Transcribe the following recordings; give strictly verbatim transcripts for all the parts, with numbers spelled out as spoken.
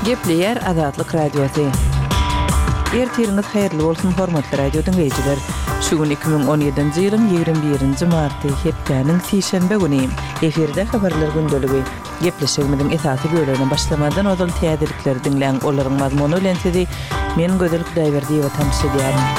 Gepleýär Azatlyk Radiosy. Ertiriňiz haýyrly bolsun, hormatly radio diňleýjiler. Şu gün iki müň on ýedinji ýylyň ýigrimi birinji marty, hepdäniň sişenbe güni. Efirde habarlar gündeligi. Gepleşigimiziň esasy bölegine başlamadan ozal täzelikleri diňläň. Olaryň mazmuny bilen sizi men Gözel Hudaýberdiýewa tanyş edýärin.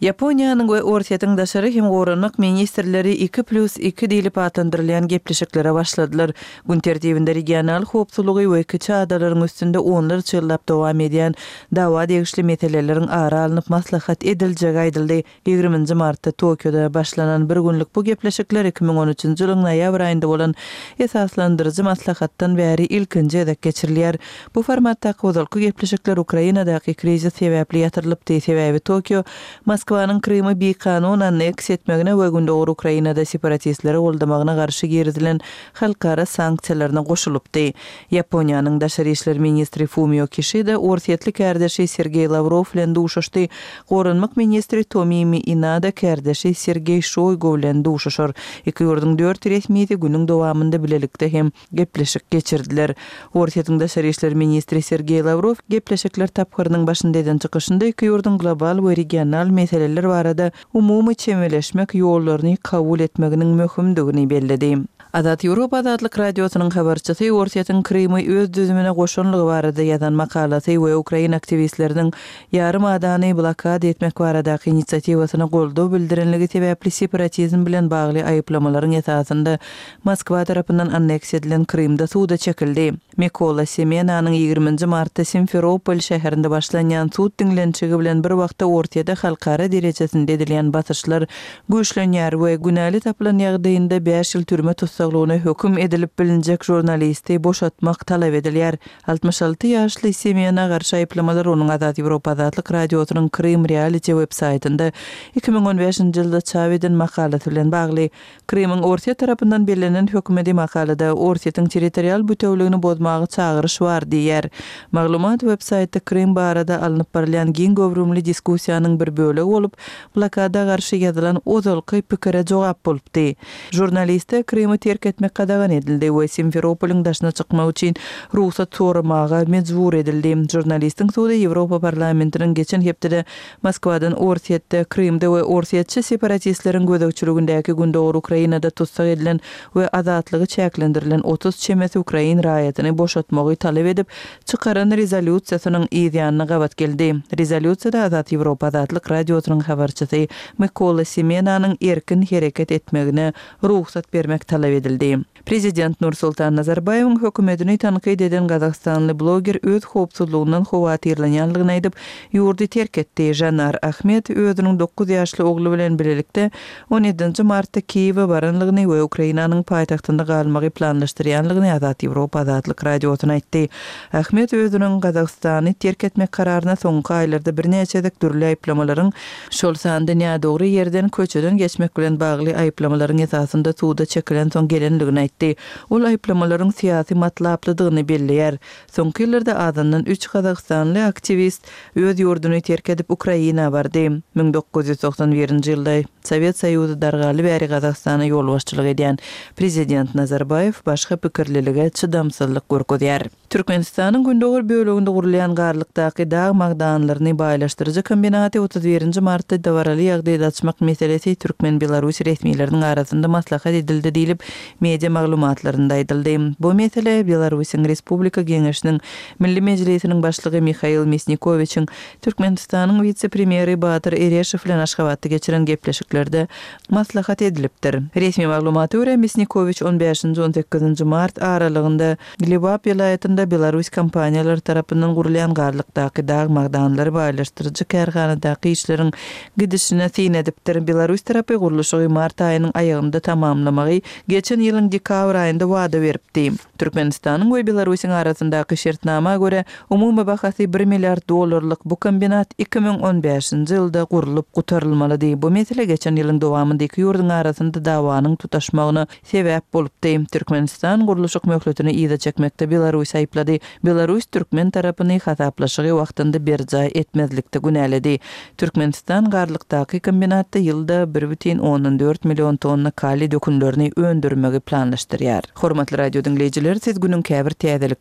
Ýaponiýanyň we Orsýetiň daşary hem goranmak ministrleri iki plus iki diýlip atlandyrylýan gepleşiklere başladylar. Gün tertibinde regional howpsuzlygy we kiçi adalaryň üstünde onlarça ýyllap dowam edýän dawa degişli meseleleriň ara alnyp maslahat ediljegi aýdyldy. Ýigriminji martda Tokioda başlanan bir günlük bu gepleşikler iki müň on üçünji ýylyň noýabr aýynda bolan esaslandyryjy maslahatdan bäri ilkinji gezek geçirilýär. Bu formatdaky ozalky gepleşikler Ukrainadaky krizis sebäpli ýatyrylypdy. Sebäbi Tokio Moskwanyň Krymy bikanun anneks etmegine we Gündogar Ukrainada separatistleri goldamagyna garşy girizilen halkara sanksiýalaryna goşulypdy. Ýaponiýanyň daşary işler ministri Fumio Kişida orsýetli kärdeşi Sergeý Lawrow bilen duşuşdy. Goranmak ministri Tomimi Inada kärdeşi Sergeý Şoýgu bilen duşuşar. Iki ýurduň dört resmisi günüň dowamynda bilelikde hem gepleşik geçirdiler. Orsýetiň daşary işler ministri Sergeý Lawrow gepleşikler tapgyrynyň başynda eden çykyşynda iki ýurduň global we regional meseleler barada umumy çemeleşmek ýollaryny kabul etmeginiň möhümdigini belledi. Azat Ýewropa Azatlyk Radiosynyň habarçysy Orsýetiň Krymy öz düzümine goşanlygy barada ýazan makalasy we ukrain aktiwistleriniň ýarym adany blokada etmek baradaky inisiatiwasyna goldaw bildirenligi sebäpli separatizm bilen bagly aýyplamalaryň esasynda Moskwa tarapyndan anneksiýa edilen Krymda suda çekildi. Mikola Semenanyň ýigriminji martda Simferopol şäherinde başlanýan sud diňlenişigi bilen bir wagtda Orsýete halkara derejesinde edilýän basyşlar güýçlenýär we günäli tapylan ýagdaýynda bäş ýyl türme tussaglygyna höküm edilip bilinjek žurnalisti boşatmak talap edilýär. Altmyş alty ýaşly Semena garşy aýyplamalar onuň Azat Ýewropa Azatlyk Radiosynyň Krym Reality web-saýtynda iki müň on bäşinji ýylda çap eden makalasy bilen bagly. Krymyň Orsýet tarapyndan bellenen hökümeti makalada Orsýetiň territorial bütewligini bozmaga çagyryş bar diýýär. Maglumat web-saýtda Krym barada alnyp barylýan giň göwrümli diskussiýanyň bir bölegi bolup, blokada garşy ýazylan ozalky pikire jogap bolupdy. Žurnaliste Krymy terk etmek gadagan edildi we Simferopolyň daşyna çykmak üçin rugsat soramaga mejbur edildi. Žurnalistiň sudy Ýewropa parlamentiniň geçen hepdede Moskwadan Orsýetde, Krymda we orsýetçi separatistleriň gözegçiligindäki Gündogar Ukrainada tussag edilen we azatlygy çäklendirilen otuz çemesi ukrain raýatyny boşatmagy talap edip çykaran rezolýusiýasynyň yz ýanyna gabat geldi. Rezolýusiýada Azat Ýewropa Azatlyk Radiosynyň habarçysy Mikola Semenanyň erkin hereket etmegine rugsat bermek talap edildi. Prezident Nursultan Nazarbaýewiň hökümetini tankyt eden gazagystanly bloger öz howpsuzlygyndan howatyrlanýanlygyny aýdyp, ýurdy terk etdi. Janar Ahmet özüniň dokuz ýaşly ogly bilen bilelikde on ýedinji martda Kiýewe baranlygyny we Ukrainanyň paýtagtynda galmagy planlaşdyrýanlygyny Azat Ýewropa Azatlyk Radiosyna aýtdy. Ahmet özüniň Gazagystany terk etmek kararyna soňky aýlarda birnäçe gezek dürli aýyplamalaryň, şol sanda nädogry ýerden köçeden geçmek bilen bagly aýyplamalaryň esasynda suda çekilen soň gelenligini aýtdy. Ol aýyplamalaryň syýasy matlaplydygyny belleýär. Soňky ýyllarda azyndan üç gazagystanly aktiwist öz ýurduny terk edip Ukraina bardy. Müň dokuz ýüz togsan birinji ýylda Sowet Soýuzy dargaly bäri Gazagystana ýolbaşçylyk edýän prezident Nazarbaýew başga pikirlilige çydamsyzlyk görkezýär. Türkmenistanyň gündogar böleginde gurulýan Garlykdaky dag magdanlaryny baýlaşdyryjy kombinaty otuz birinji martda dabaraly ýagdaýda açmak meselesi türkmen-belarus resmileriniň arasynda maslahat edildi diýlip, media maglumatlarynda aýdyldy. Bu mesele Belarusyň Respublika Geňeşiniň Milli Mejlisiniň başlygy Mihail Misnikowiçiň Türkmenistanyň wise-premýeri Batyr Ereşow bilen Aşgabatda geçiren gepleşiklerde maslahat edilipdir. Resmi maglumata görä, Misnikowiç on bäşinji on sekizinji mart aralygynda Lebap welaýatynda Belarus kompaniýalary tarapyndan gurulýan Garlykdaky dag magdanlary baýlaşdyryjy kärhanadaky işleriň gidişine syn edipdir. Belarus tarapy gurluşygy mart aýynyň aýagynda tamamlamagy geçen ýylyň dekabr aýynda wada beripdi. Türkmenistanyň we Belarusyň arasyndaky şertnama görä, umumy bahasy bir milliard dollarlyk bu kombinat iki müň on bäşinji ýylda gurlup gutarylmalydy. Bu mesele geçen ýylyň dowamynda iki ýurduň arasynda dawanyň tutaşmagyna sebäp bolupdy. Türkmenistan gurluşyk möhletini yza çekmekde Belarus aýyplady. Belarus türkmen tarapyny hasaplaşygy wagtynda berjaý etmezlikde günäledi. Türkmenistan Garlykdaky kombinatda ýylda bir bütin ondan dört million tonna kaliý dökünlerini öndürmegi planlaşdyrýar. Hormatly radio diňleýjiler, siz günüň käbir täzeliklerini